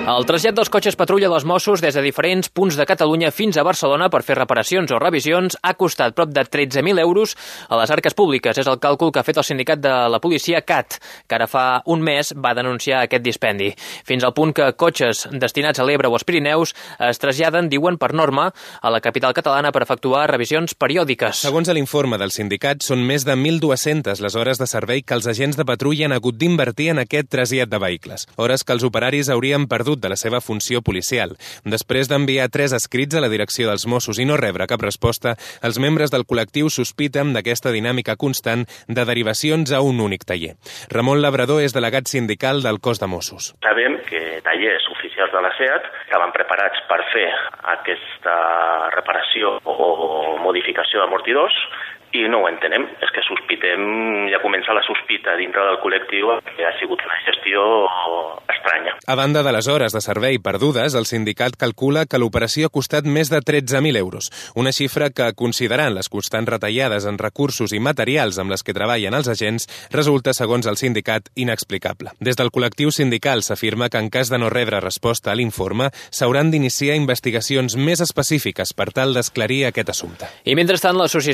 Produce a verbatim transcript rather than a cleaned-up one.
El trasllat dels cotxes patrulla dels Mossos des de diferents punts de Catalunya fins a Barcelona per fer reparacions o revisions ha costat prop de tretze mil euros a les arques públiques. És el càlcul que ha fet el sindicat de la policia C A T, que ara fa un mes va denunciar aquest dispendi. Fins al punt que cotxes destinats a l'Ebre o als Pirineus es traslladen, diuen per norma, a la capital catalana per efectuar revisions periòdiques. Segons l'informe del sindicat, són més de mil dues-centes les hores de servei que els agents de patrulla han hagut d'invertir en aquest trasllat de vehicles. Hores que els operaris haurien perdut de la seva funció policial. Després d'enviar tres escrits a la direcció dels Mossos i no rebre cap resposta, els membres del col·lectiu sospiten d'aquesta dinàmica constant de derivacions a un únic taller. Ramon Labrador és delegat sindical del cos de Mossos. Sabem que tallers oficials de la SEAT estaven preparats per fer aquesta reparació o modificació d'amortidors i no ho entenem. És que sospitem, ja comença la sospita dintre del col·lectiu que ha sigut una gestió estranya. A banda de les hores de servei perdudes, el sindicat calcula que l'operació ha costat més de tretze mil euros, una xifra que, considerant les constants retallades en recursos i materials amb les que treballen els agents, resulta, segons el sindicat, inexplicable. Des del col·lectiu sindical s'afirma que en cas de no rebre resposta a l'informe, s'hauran d'iniciar investigacions més específiques per tal d'esclarir aquest assumpte. I mentrestant, l'associació